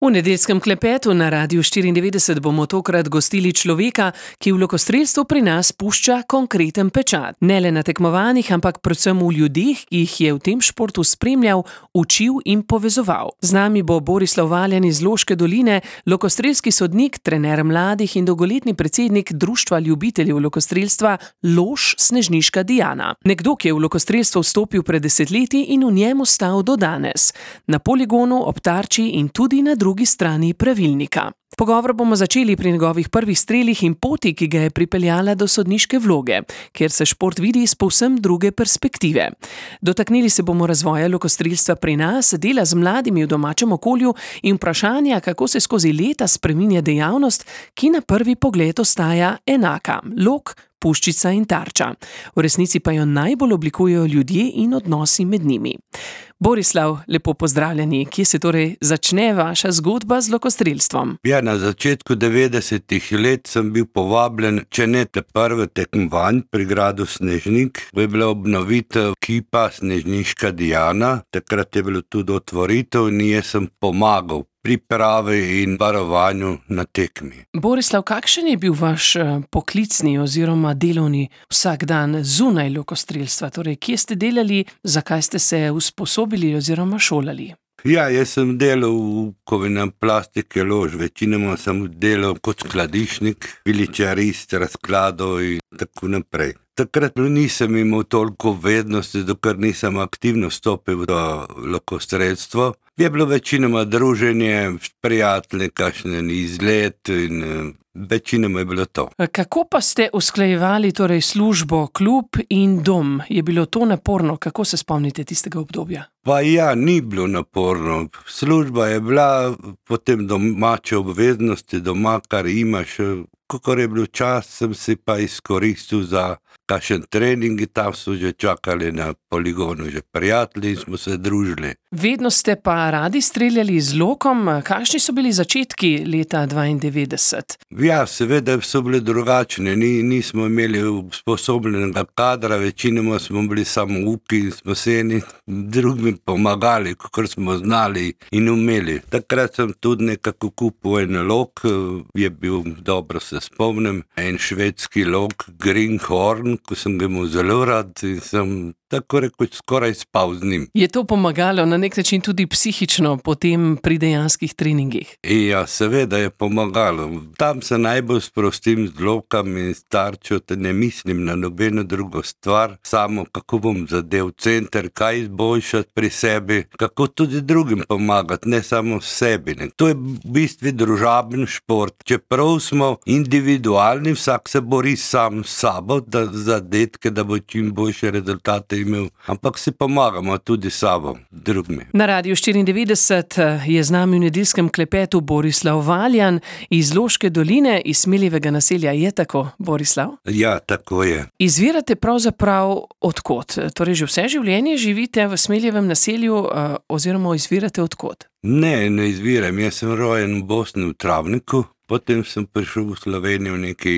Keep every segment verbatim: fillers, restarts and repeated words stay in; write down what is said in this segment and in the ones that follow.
V nedeljskem klepetu na Radiu štiriindevetdeset bomo tokrat gostili človeka, ki v lokostrelstvu pri nas pušča konkreten pečat. Ne le na tekmovanjih, ampak predvsem v ljudeh, ki jih je v tem športu spremljal, učil in povezoval. Z nami bo Borislav Valjan iz Loške doline, lokostrelski sodnik, trener mladih in dolgoletni predsednik Društva ljubiteljev lokostrelstva Lož Snežniška Diana. Nekdo, ki je v lokostrelstvo vstopil pred desetletji in v njem ostal do danes. Na poligonu, ob tarči in tudi na drugi strani pravilnika. Pogovor bomo začeli pri njegovih prvih strelih in poti, ki ga je pripeljala do sodniške vloge, kjer se šport vidi iz povsem druge perspektive. Dotaknili se bomo razvoja lokostrelstva pri nas, dela z mladimi v domačem okolju in vprašanja, kako se skozi leta spreminja dejavnost, ki na prvi pogled ostaja enaka: lok, puščica in tarča. V resnici pa jo najbolj oblikujejo ljudje in odnosi med njimi. Borislav, lepo pozdravljeni. Kje se torej začne vaša zgodba z lokostrelstvom? Ja, na začetku devetdesetih let sem bil povabljen, če ne te prve tekmovanj pri gradu Snežnik. Je bila obnovitev kipa Snežniška Diana, takrat je bilo tudi otvoritev in jaz sem pomagal pripravi in varovanju na tekmi. Borislav, kakšen je bil vaš poklicni oziroma delovni vsakdan zunaj lokostrelstva? Torej, kje ste delali, zakaj ste se usposobili oziroma šolali? Ja, jaz sem delal v kovinam plastike Lož, večinoma sem delal kot skladišnik, viličarist, razkladov in tako naprej. Takrat nisem imel toliko vednosti, dokler nisem aktivno stopil v lokostrelstvo. Je bilo večinoma druženje, prijatelji, kakšen izlet in večinoma je bilo to. Kako pa ste usklajevali torej službo, klub in dom? Je bilo to naporno? Kako se spomnite tistega obdobja? Pa ja, ni bilo naporno. Služba je bila, potem domače obveznosti, doma, kar imaš. Kakor je bil čas, sem si pa izkoristil za kakšen trening, tam so že čakali na poligonu že prijatelji in smo se družili. Vedno ste pa radi streljali z lokom. Kakšni so bili začetki leta dvaindevetdeset? Ja, seveda so bili drugačni. Ni, nismo imeli usposobljenega kadra, večinoma smo bili samo uki in smo se eni drugim pomagali, kakor smo znali in umeli. Takrat sem tudi nekako kupil en lok, je bil, dobro se spomnim, en švedski lok, Greenhorn, ko sem ga imel zelo rad in sem tako rekoč skoraj spal z njim. Je to pomagalo na nek način tudi psihično potem pri dejanskih treningih? Ja, seveda je pomagalo. Tam se najbolj sprostim z lokom in s tarčo, te ne mislim na nobeno drugo stvar, samo kako bom zadev center, kaj izboljšati pri sebi, kako tudi drugim pomagati, ne samo sebi. Ne. To je v bistvu družaben šport. Čeprav smo individualni, vsak se bori sam s sabo, da za detke, da bo čim boljše rezultate imel, ampak si pomagamo tudi sabo, drugimi. Na Radiu štiriindevetdeset je z nami v nedeljskem klepetu Borislav Valjan iz Loške doline, iz Smeljevega naselja. Je tako, Borislav? Ja, tako je. Izvirate pravzaprav odkot? Torej, že vse življenje živite v Smeljevem naselju oziroma izvirate odkot? Ne, ne izviram. Jaz sem rojen v Bosni, v Travniku. Potem sem prišel v Slovenijo nekaj,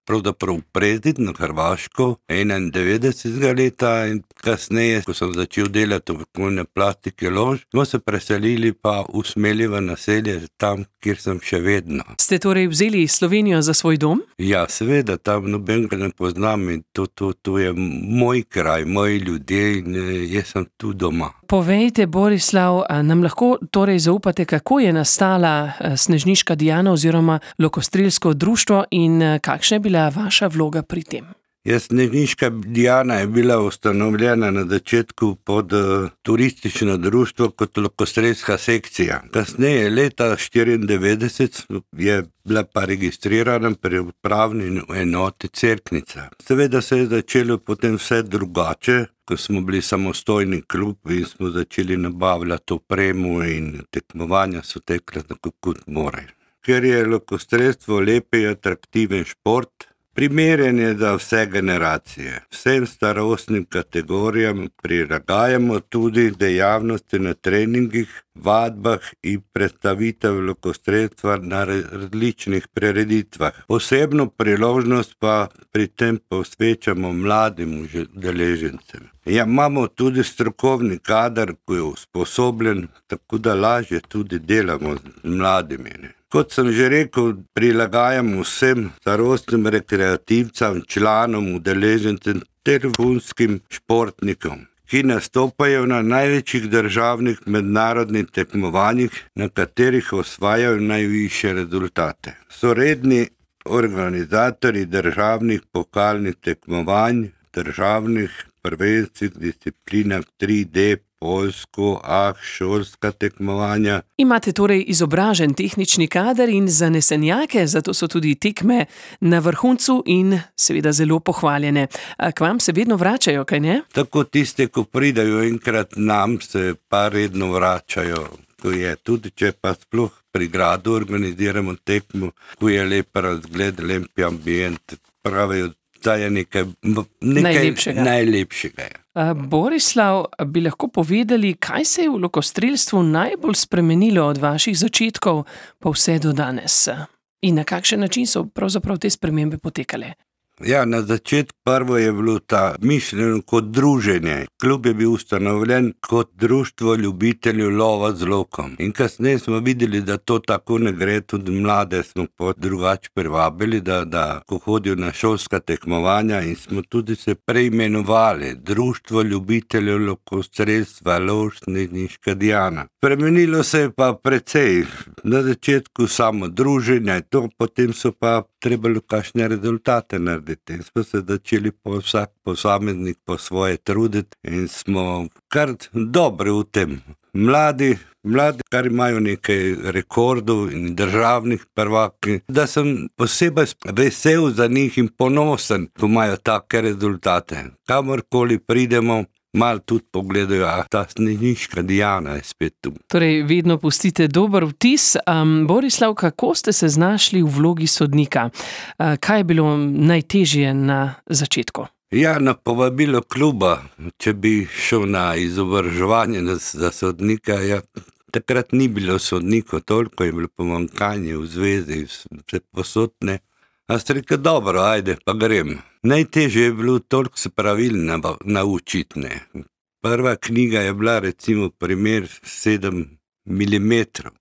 pravzaprav Predid na Hrvaško, enaindevetdesetega leta in kasneje, ko sem začel delati v kovine plastike Lož, smo se preselili pa v Smeljeva naselje, tam, kjer sem še vedno. Ste torej vzeli Slovenijo za svoj dom? Ja, seveda, tam nobenega ne poznam in to, to, to je moj kraj, moji ljudje in jaz sem tu doma. Povejte, Borislav, nam lahko torej zaupate, kako je nastala Snežniška Diana oziroma lokostrelsko društvo in kakšna je bila vaša vloga pri tem? Ja, Snežniška Diana je bila ustanovljena na začetku pod uh, turistično društvo kot lokostrelska sekcija. Kasneje, leta štiriindevetdeset, je bila pa registrirana pri upravni enoti Cerknica. Seveda se je začelo potem vse drugače, ko smo bili samostojni klub in smo začeli nabavljati opremo in tekmovanja so tekle tako kot morajo. Ker je lokostrelstvo lep in atraktiven šport, primeren je za vse generacije. Vsem starostnim kategorijam prilagajamo tudi dejavnosti na treningih, vadbah in predstavitev lokostrelstva na različnih prireditvah. Posebno priložnost pa pri tem posvečamo mladim udeležencem. Ja, imamo tudi strokovni kader, ki je usposobljen, tako da lažje tudi delamo z mladimi. Ne. Kot sem že rekel, prilagajamo vsem starostnim rekreativcam, članom, udeležencem ter vrhunskim športnikom, ki nastopajo na največjih državnih mednarodnih tekmovanjih, na katerih osvajajo najvišje rezultate. So redni organizatorji državnih pokalnih tekmovanj, državnih prvenskih disciplinah tri D, poljsko, ah, šolska tekmovanja. Imate torej izobražen tehnični kader in zanesenjake, zato so tudi tekme na vrhuncu in seveda zelo pohvaljene. A k vam se vedno vračajo, kaj ne? Tako tiste, ko pridajo enkrat nam, se pa redno vračajo. Ko je tudi, če pa sploh pri gradu organiziramo tekmo, ko je lep razgled, lep ambient, pravijo, da je nekaj, nekaj Najlepšega. najlepšega. A, Borislav, bi lahko povedali, kaj se je v lokostrelstvu najbolj spremenilo od vaših začetkov pa vse do danes? In na kakšen način so pravzaprav te spremembe potekale? Ja, na začetku prvo je bilo ta mišljeno kot druženje. Klub je bil ustanovljen kot društvo ljubiteljev lova z lokom. In kasneje smo videli, da to tako ne gre, tudi mlade smo pa drugače privabili, da, da ko hodijo na šolska tekmovanja, in smo tudi se preimenovali Društvo ljubiteljev lokostrelstva Lovšniška Diana. Spremenilo se je pa precej. Na začetku samo druženje, to, potem so pa trebalo kakšne rezultate narediti. In smo se začeli po vsak posameznik po svoje truditi in smo kar dobri v tem. Mladi, mladi, kar imajo nekaj rekordov in državnih prvaki, da sem posebej vesel za njih in ponosen, ko imajo take rezultate. Kamorkoli pridemo, malo tudi pogledajo, a ta Snežniška Diana je spet tu. Torej, vedno pustite dober vtis. Um, Borislav, kako ste se znašli v vlogi sodnika? Uh, kaj je bilo najtežje na začetku? Ja, na povabilo kluba, če bi šel na izobraževanje za sodnika, ja, takrat ni bilo sodnikov, toliko je bilo pomanjkanje v zvezi, vse posodne. A ste rekel, dobro, ajde, pa grem. Najtežje je bilo toliko se pravil naučiti. Ne. Prva knjiga je bila recimo primer sedem milimetrov.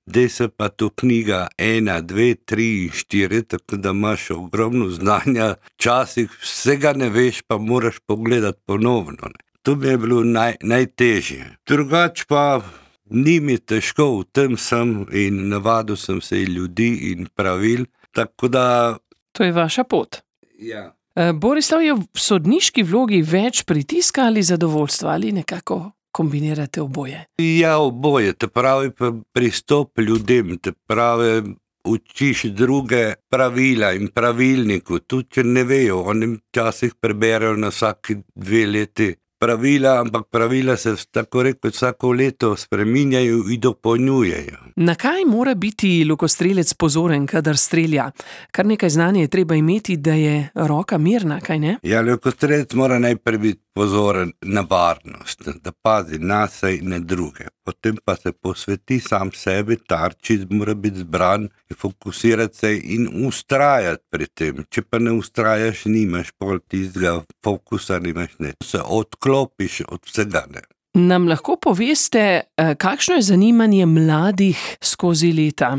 Zdaj se pa to knjiga ena, dve, tri in štiri, tako da imaš ogromno znanja, včasih vsega ne veš, pa moraš pogledati ponovno. Ne. To mi je bilo naj, najtežje. Drugač pa ni mi težko, v tem sem in navadil sem se in ljudi in pravil, tako da... To je vaša pot. Ja. Borislav, je v sodniški vlogi več pritiska ali zadovoljstva ali nekako kombinirate oboje? Ja, oboje, te pravi pristop ljudem, te pravi učiš druge pravila in pravilniku, tudi če ne vejo, oni včasih preberejo na vsaki dve leti pravila, ampak pravila se tako rekel vsako leto spreminjajo in dopolnjujejo. Na kaj mora biti lokostrelec pozoren, kadar strelja? Kar nekaj znanja je treba imeti, da je roka mirna, kaj ne? Ja, lokostrelec mora najprej biti pozoren na varnost, da pazi nase in na druge. Potem pa se posveti sam sebi, tarči mora biti zbran, fokusirati se in ustrajati pri tem. Če pa ne ustrajaš, nimaš pol tistega fokusa, nimaš ne. Se odklopiš od vsega, ne. Nam lahko poveste, kakšno je zanimanje mladih skozi leta?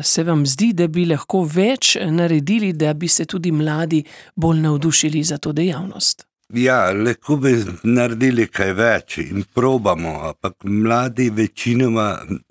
Se vam zdi, da bi lahko več naredili, da bi se tudi mladi bolj navdušili za to dejavnost? Ja, lahko bi naredili kaj več in probamo, ampak mladi večinoma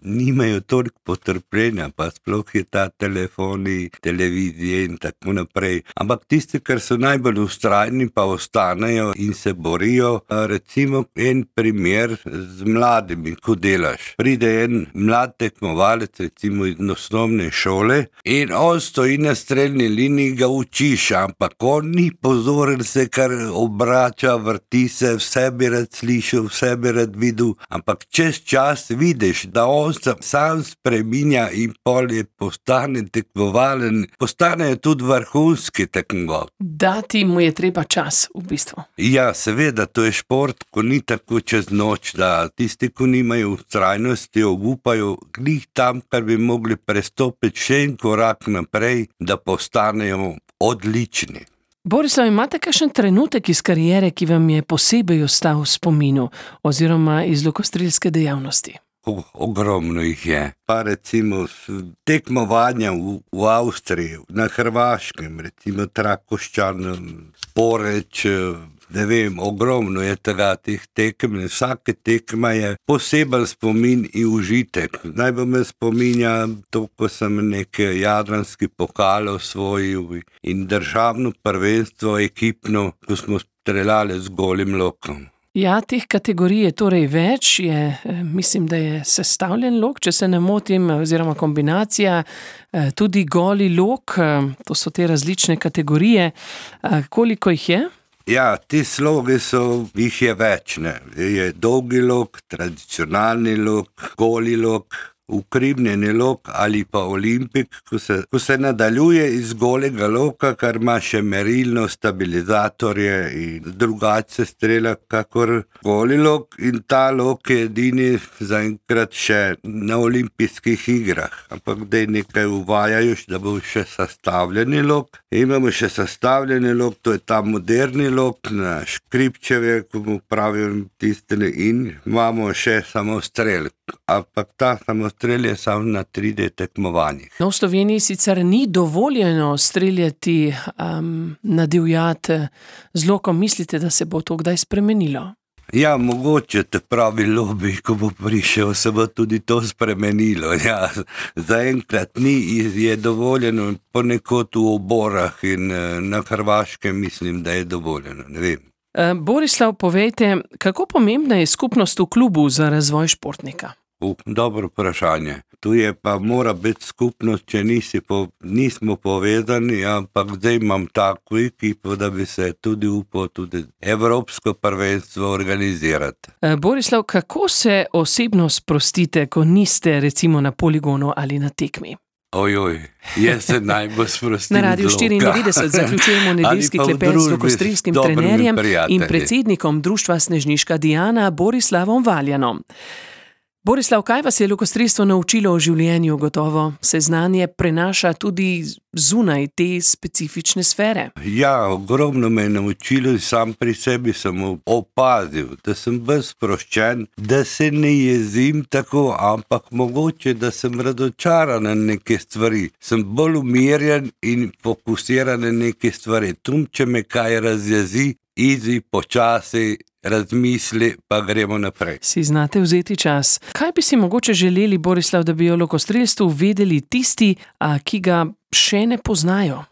nimajo toliko potrpljenja, pa sploh je ta telefoni, televizije in tako naprej. Ampak tisti, kar so najbolj ustrajni, pa ostanejo in se borijo. Recimo en primer z mladimi, ko delaš. Pride en mlad tekmovalec, recimo iz osnovne šole, in on stoji na strelni liniji, ga učiš, ampak on ni pozoren se, kar obrača, vrača, vrti se, vse bi rad slišal, vse bi rad videl, ampak čez čas vidiš, da on se sam spreminja in pol je postane tekmovalen, postane tudi vrhunski tekmovalec. Dati mu je treba čas, v bistvu. Ja, seveda, to je šport, ko ni tako čez noč, da tisti, ko nimajo vztrajnosti, obupajo glih tam, kar bi mogli prestopiti še en korak naprej, da postanejo odlični. Borislav, imate kakšen trenutek iz kariere, ki vam je posebej ostal v spominu oziroma iz lokostrelske dejavnosti? O, ogromno jih je. Pa recimo tekmovanja v, v Avstriji, na Hrvaškem, recimo Trakošćan, Poreč, ne vem, ogromno je tega teh tekem. Vsake tekma je poseben spomin in užitek. Najbolj me spominja to, ko sem neke jadranski pokal osvojil in državno prvenstvo ekipno, ko smo streljali z golim lokom. Ja, teh kategorij je torej več, je, mislim, da je sestavljen lok, če se ne motim, oziroma kombinacija, tudi goli lok, to so te različne kategorije. Koliko jih je? Ja, ti slogi so, jih je več, ne. Je dolgi lok, tradicionalni lok, goli lok, ukrivnjeni lok ali pa olimpik, ko se, ko se nadaljuje iz golega loka, kar ima še merilno stabilizatorje in drugače strela kakor goli lok, in ta lok je edini zaenkrat še na olimpijskih igrah, ampak da je nekaj uvajajo, da bo še sestavljeni lok. Imamo še sestavljeni lok, to je ta moderni lok na Škripčeve, ko mu pravijo tistene, in imamo še samostrel, ampak ta samostrel strelje samo na tri D tekmovanjih. No, v Sloveniji sicer ni dovoljeno streljati um, na divjad z lokom. Mislite, da se bo to kdaj spremenilo? Ja, mogoče te pravi lobby, ko bo prišel, se bo tudi to spremenilo. Ja, zaenkrat ni, je dovoljeno ponekod v oborah in na Hrvaškem mislim, da je dovoljeno, ne vem. Borislav, povejte, kako pomembna je skupnost v klubu za razvoj športnika? Uh, dobro vprašanje. Tu je pa mora biti skupnost, če nisi po, nismo povezani, ampak zdaj imam tako ekipo, da bi se tudi upal tudi evropsko prvenstvo organizirati. E, Borislav, kako se osebno sprostite, ko niste recimo na poligonu ali na tekmi? Ojoj, jaz se najbolj sprostim. Na Radiu štiriindevetdeset zaključujemo nedeljski klepet z lokostrelskim trenerjem in predsednikom društva Snežniška Diana Borislavom Valjanom. Borislav, kaj vas je lokostrelstvo naučilo o življenju? Gotovo se znanje prenaša tudi zunaj te specifične sfere. Ja, ogromno me je naučilo in sam pri sebi sem opazil, da sem bolj sproščen, da se ne jezim tako, ampak mogoče, da sem razočaran na neke stvari. Sem bolj umirjen in fokusiran na neke stvari. Tum, če me kaj razjezi, izi, počasi, razmisli, pa gremo naprej. Si znate vzeti čas. Kaj bi si mogoče želeli, Borislav, da bi o lokostrelstvu vedeli tisti, a, ki ga še ne poznajo?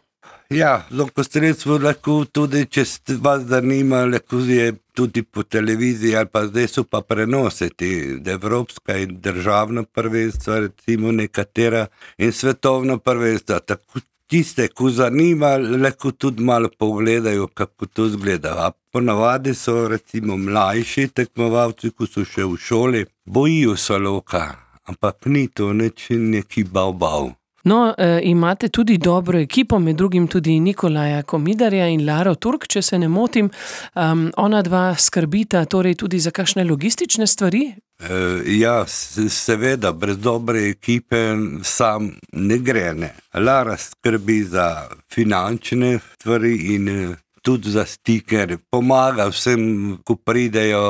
Ja, lokostrelstvo lahko tudi, če vas zanima, lahko je tudi po televiziji, ali pa zdaj so pa prenositi evropska in državna prvenstva, recimo nekatera, in svetovna prvenstva. Tako tiste, ko zanima, lahko tudi malo pogledajo, kako to zgleda. A ponavadi so recimo mlajši tekmovalci, ko so še v šoli, bojijo se loka, ampak ni to nič neki bav-bav. No, e, imate tudi dobro ekipo, med drugim tudi Nikolaja Komidarja in Laro Turk, če se ne motim. Um, ona dva skrbita torej tudi za kakšne logistične stvari? E, ja, seveda, brez dobre ekipe sam ne gre, ne. Lara skrbi za finančne stvari in tudi za stiker, pomaga vsem, ko pridejo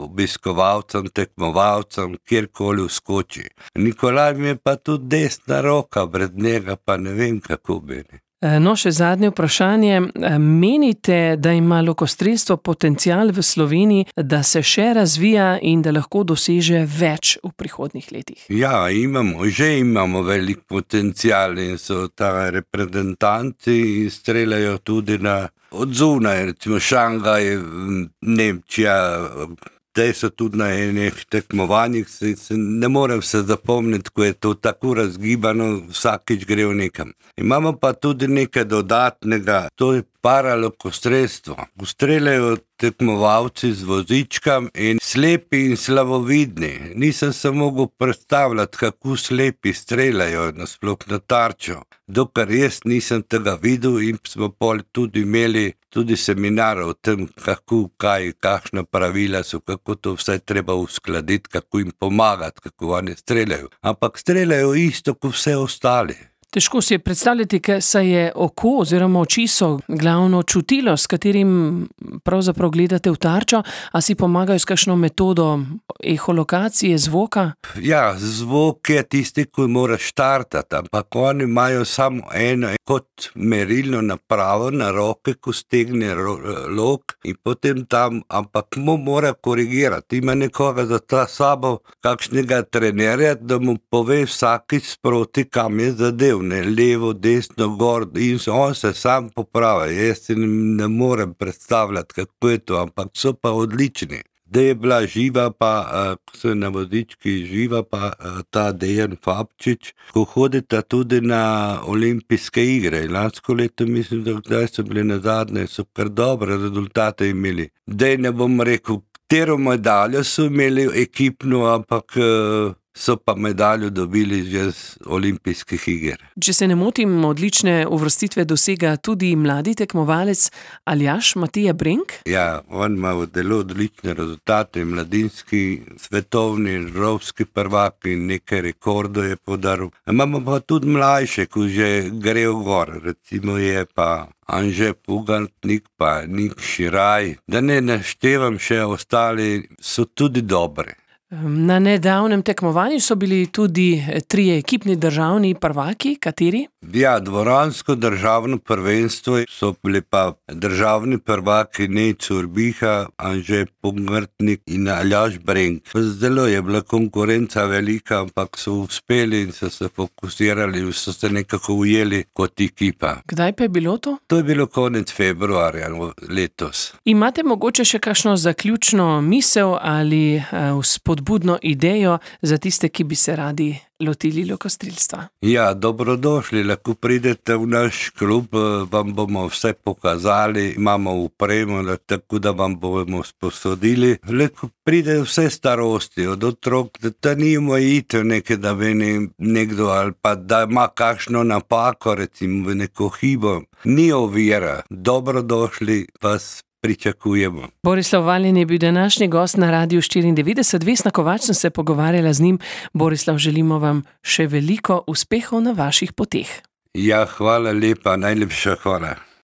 obiskovalcem, tekmovalcem, kjerkoli vskoči. Nikolaj mi je pa tudi desna roka, brez njega pa ne vem, kako bi. No, še zadnje vprašanje. Menite, da ima lokostrelstvo potencial v Sloveniji, da se še razvija in da lahko doseže več v prihodnjih letih? Ja, imamo, že imamo velik potencial in so ta reprezentanti in streljajo tudi na od zunaj, recimo Šangaj, Nemčija, te so tudi na enih tekmovanjih, se, se ne morem se zapomniti, ko je to tako razgibano, vsakič gre v nekam. Imamo pa tudi nekaj dodatnega, to je paralokostrelstvo. Streljajo tekmovalci z vozičkam in slepi in slavovidni. Nisem se mogel predstavljati, kako slepi streljajo nasploh na tarčo. Dokler jaz nisem tega videl in smo pol tudi imeli tudi seminar o tem, kako, kaj, kakšna pravila so, kako to vse treba uskladiti, kako jim pomagati, kako oni streljajo. Ampak streljajo isto kot vse ostali. Težko si je predstavljati, ker se je oko oziroma oči so glavno čutilo, s katerim pravzaprav gledate v tarčo, a si pomagajo s kakšno metodo eholokacije zvoka? Ja, zvok je tisti, ki mora štartati, ampak oni imajo samo eno kot merilno napravo na roke, ko stegne lok in potem tam, ampak mu mora korigirati. Ima nekoga za ta sabo, kakšnega trenerja, da mu pove vsakič sproti, kam je zadev, ne levo, desno, gor, in on se sam popravi. Jaz si ne morem predstavljati, kako je to, ampak so pa odlični. Da je bila živa pa, ko so na vodički živa pa ta Dejan Fabčič, ko hodita tudi na olimpijske igre. Lansko leto mislim, da kdaj so bili nazadnje, so kar dobre rezultate imeli. Dej ne bom rekel, katero medaljo so imeli ekipno, ampak so pa medaljo dobili že z olimpijskih iger. Če se ne motim, odlične uvrstitve dosega tudi mladi tekmovalec Aljaž Matija Brenk? Ja, on ima zelo odlične rezultate, mladinski, svetovni, evropski prvak in nekaj rekordov je podaril. Imamo pa tudi mlajše, ko že grejo gor, recimo je pa Anže Pugantnik, pa Nik Širaj, da ne naštevam še ostali, so tudi dobre. Na nedavnem tekmovanju so bili tudi trije ekipni državni prvaki, kateri? Ja, dvoransko državno prvenstvo so bili pa državni prvaki Nejc Urbiha, Anže Pugantnik in Aljaž Brenk. Zelo je bila konkurenca velika, ampak so uspeli in so se fokusirali, so se nekako ujeli kot ekipa. Kdaj pa je bilo to? To je bilo konec februarja letos. Imate mogoče še kakšno zaključno misel ali spodbudno idejo za tiste, ki bi se radi lotili lokostrelstva? Ja, dobrodošli, lahko pridete v naš klub, vam bomo vse pokazali, imamo upremo, tako da vam bomo sposodili. Lahko pride vse starosti, od otrok, da ni omejitev nekaj, da meni nekdo ali pa da ima kakšno napako, recimo v neko hibo. Ni ovira, dobrodošli, vas pričakujemo. Borislav Valjan je bil današnji gost na Radiu štiriindevetdeset. Vesna Kovač sem se pogovarjala z njim. Borislav, želimo vam še veliko uspehov na vaših poteh. Ja, hvala lepa, najlepša hvala.